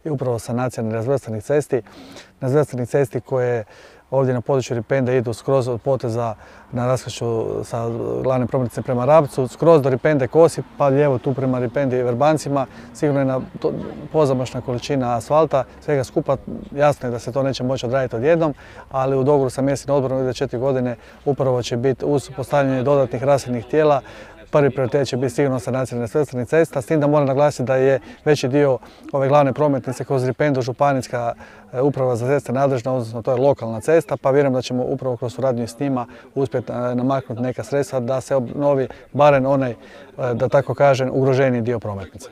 i upravo sanacija nerazvrstanih cesti koje ovdje na području Ripende idu skroz od poteza na raskršću sa glavne prometnice prema Rabcu, skroz do Ripende Kosi, pa lijevo tu prema Ripendi i Vrbancima. Sigurno je pozamašna količina asfalta, svega skupa. Jasno je da se to neće moći odraditi odjednom, ali u dogovoru sa mjesnim odborom ide 4 godine upravo će biti uz postavljanje dodatnih rasvjetnih tijela. Prvi prioritet će biti sigurno sanacija nerazvrstanih cesta, s tim da moram naglasiti da je veći dio ove glavne prometnice kroz Ripendu županijska uprava za ceste nadležna, odnosno to je lokalna cesta, pa vjerujem da ćemo upravo kroz suradnju s njima uspjeti namaknuti neka sredstva da se obnovi barem onaj, da tako kažem, ugroženiji dio prometnice.